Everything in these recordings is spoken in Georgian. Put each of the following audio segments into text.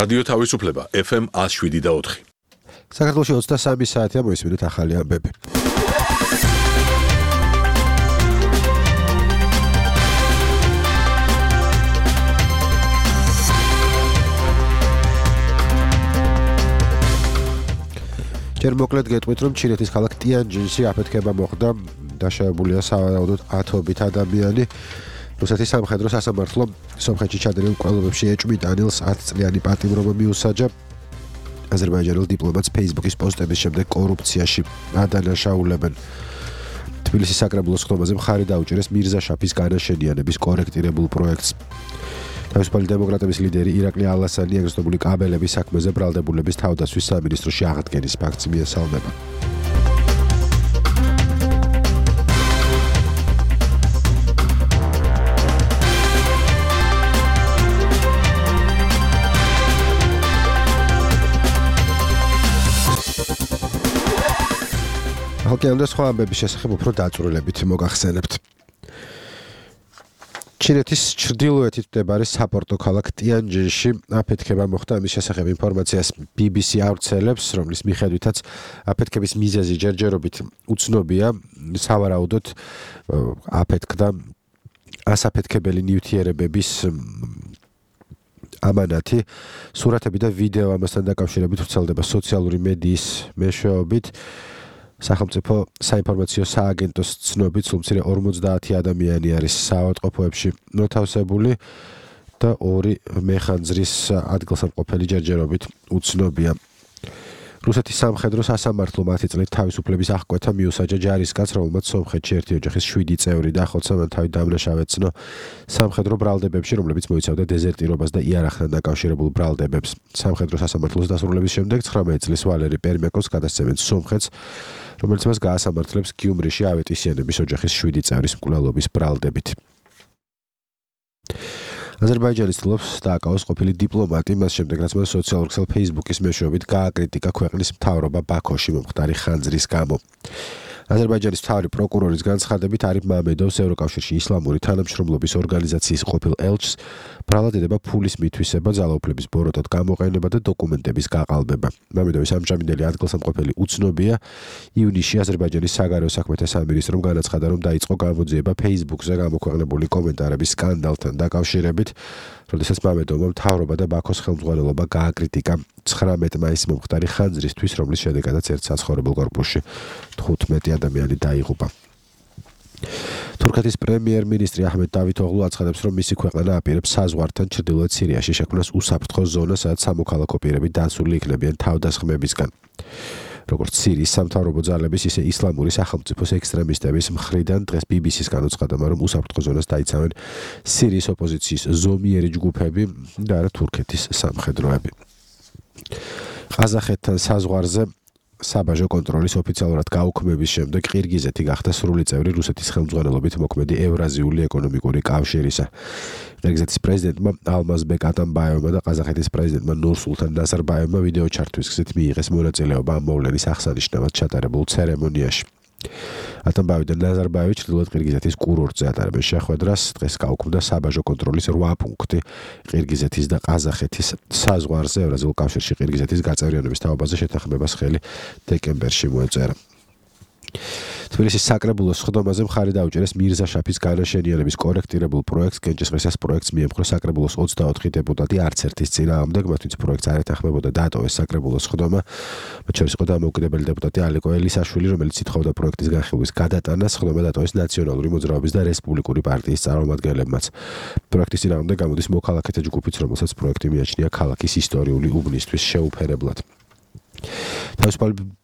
რადიო თავისუფლება FM 107.4. საქართველოში 23 საათია მოისმინეთ ახალი ამბები. ჯერ მოკლედ გეტყვით, რომ ჩინეთის ქალაქ ტიანჯინში აფეთქება მოხდა, დაშავებულია სავარაუდოდ 10-ობით ადამიანი. რუსეთის სამხედრო სასამართლომ სომხეთში ჩადენილ მკვლელობებში ეჭვმიტანილს 10 წლიანი პატიმრობა მიუსაჯა. აზერბაიჯანელ დიპლომატს Facebook-ის პოსტების შემდეგ კორუფციაში ადანაშაულებენ. თბილისის საკრებულოს ხდომაზე მხარი დაუჭერეს მირზა შაფის განაშენიანების კორექტირებულ პროექტს. თავისუფალი დემოკრატების ლიდერი ირაკლი ალასანი ეგრესტებული კაბელების საქმეზე ბრალდებულების თავდაცვის სამინისტროში აღდგენის ფაქტს მიესალმება. ახალგაზრდა სხვა ამბების შესახებ უფრო დაწვრილებით მოგახსენებთ. ჩინეთის ჩრდილოეთით მდებარე საპორტო ქალაქ ტიანჯინში აფეთქება მოხდა. ამის შესახებ ინფორმაციას BBC ავრცელებს, რომლის მიხედვითაც აფეთქების მიზეზი ჯერჯერობით უცნობია. სავარაუდოდ აფეთქდა ასაფეთქებელი ნივთიერებების ამანათი. სურათები და ვიდეო ამასთან დაკავშირებით ვრცელდება სოციალური მედიის მეშვეობით. სახელმწიფო საინფორმაციო სააგენტოს ცნობით, სულ მცირე 50 ადამიანი არის საავადმყოფოებში მოთავსებული და 2 მეხანძრის ადგილსამყოფელი ჯერჯერობით უცნობია. რუსეთის სამხედრო სასამართლომ 10 წლით თავისუფლების აღკვეთა მიუსაჯა ჯარისკაცს, რომელმაც სომხეთში ერთი ოჯახის 7 წევრი და ახალცამან თავი დამნაშავეცნო სამხედრო ბრალდებებში, რომლებიც მოიცავდა დეზერტირობას და იარაღთან დაკავშირებულ ბრალდებებს. სამხედრო სასამართლოს დასრულების შემდეგ 19 წლის ვალერი პერმეკოს გადასცემენ სომხეთს, რომელიც მას გაასამართლებს გიუმრიში ავეტისიანების ოჯახის 7 წევრის მკვლელობის ბრალდებით. აზერბაიჯანის ცდილობს დააკავოს ყოფილი დიპლომატი, მას შემდეგ რაც მან სოციალურ ქსელ Facebook-ის მეშვეობით გააკრიტიკა ქვეყნის მთავრობა ბაქოში მომხდარი ხანძრის გამო. აზერბაიჯანის მთავარი პროკურორის განცხადებით არიფ მამედოვს ევროკავშირში ისლამური თანამშრომლობის ორგანიზაციის ყოფილ ელჩს ბრალად ედება ფულის მითვისება, ძალაუფლების ბოროტად გამოყენება და დოკუმენტების გაყალბება. მამედოვის ამჟამინდელი ადგილსამყოფელი უცნობია. ივნისში აზერბაიჯანის საგარეო საქმეთა სამინისტრომ განაცხადა, რომ დაიწყო გამოძიება Facebook-ზე გამოქვეყნებული კომენტარების სკანდალთან დაკავშირებით, როდესაც მამედოვმა მთავრობა და ბაქოს ხელმძღვანელობა გააკრიტიკა 19 მაისს მომხდარი ხანძრისთვის, რომლის შედეგადაც ერთ საცხოვრებელ კორპუსში 15 ადამიანი დაიღუპა. თურქეთის პრემიერ-მინისტრი აჰმედ დავითოღლუ აცხადებს, რომ მისი ქვეყანა აპირებს საზღვართან ჩრდილოეთ სირიაში შექმნას უსაფრთხო ზონა, სადაც სამოქალაქო პირები დაცული იქნებიან თავდასხმებისგან. როგორც სირიის სამთავრობო ძალების, ისე ისლამური სახელმწიფოს ექსტრემისტების მხრიდან დღეს BBC-ს განუცხადა, რომ უსაფრთხო ზონას დაიცავენ სირიის ოპოზიციის ზომიერი ჯგუფები და არა თურქეთის სამხედროები. ყაზახეთთან საზღვარზე საბაჟო კონტროლის ოფიციალურად გაუქმების შემდეგ ყირგიზეთი გახდა სრული წევრი რუსეთის ხელმძღვანელობით მოქმედი ევრაზიული ეკონომიკური კავშირისა. ყირგიზეთის პრეზიდენტმა ალმაზბეკ ატამბაევმა და ყაზახეთის პრეზიდენტმა ნურსულთან ნაზარბაევმა ვიდეო ჩარტვის გზით მიიღეს მონაწილეობა ამ მოვლენის აღსანიშნავად ჩატარებულ ცერემონიაში. ატამბაევი და ნაზარბაევი ჩრდილოეთ ყირგიზეთის კურორტზე ატარებენ შეხვედრას. დღეს გაუქმდა საბაჟო კონტროლის 8 პუნქტი ყირგიზეთის და ყაზახეთის საზღვარზე. ევრაზიულ კავშირში ყირგიზეთის გაწევრიანების თაობაზე შეთანხმებას ხელი დეკემბერში მოეწერა. თბილისის საკრებულოს ხდომაზე მხარი დაუჭერეს მირზა შაფის განაშენიანების კორექტირებულ პროექტს. კენჭისყრისას პროექტს მიემხრო საკრებულოს 24 დეპუტატი, არც ერთის წინააღმდეგ, მათ ვინც პროექტს არ ეთანხმებოდა, დატოვეს საკრებულოს ხდომა. მათ შორის იყო დამოუკიდებელი დეპუტატი ალიკო ელისაშვილი, რომელიც ითხოვდა პროექტის განხილვის გადატანას. ხდომა დატოვეს ნაციონალური მოძრაობის და რესპუბლიკური პარტიის წარმომადგენლებმაც. პროექტის წინააღმდეგ გამოდის მოქალაქეთა ჯგუფიც, რომელსაც პროექტი მიაჩნია ქალაქის ისტორიული უბნისთვის შეუფერებლად.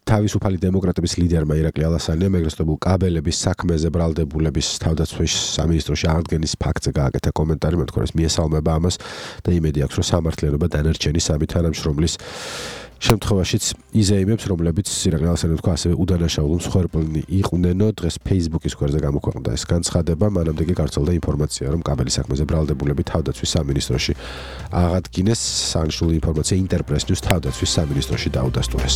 თავისუფალი დემოკრატების ლიდერმა ირაკლი ალასანიამ ეგრესტებულ კაბელების საქმეზე ბრალდებულების თავდაცვის სამინისტროში აღდგენის ფაქტზე გააკეთა კომენტარი, მათ თქოს მიესალმება ამას და იმედი აქვს, რომ სამართლიანობა დანარჩენი სამი თანამშრომლის შემთხვევაშიც იზეიმებს, რომლებიც ირაკლი ალასანიამ თქვა ასევე უდანაშაულო მსხვერპლნი იყვნენ. დღეს Facebook-ის გვერდზე გამოქვეყნდა ეს განცხადება, მანამდე კი გავრცელდა ინფორმაცია, რომ კაბელის საქმეზე ბრალდებულები თავდაცვის სამინისტროში აღადგინეს. სანიშნულო ინფორმაცია ინტერპრეს ნიუს თავდაცვის სამინისტროში დაუდასტურეს.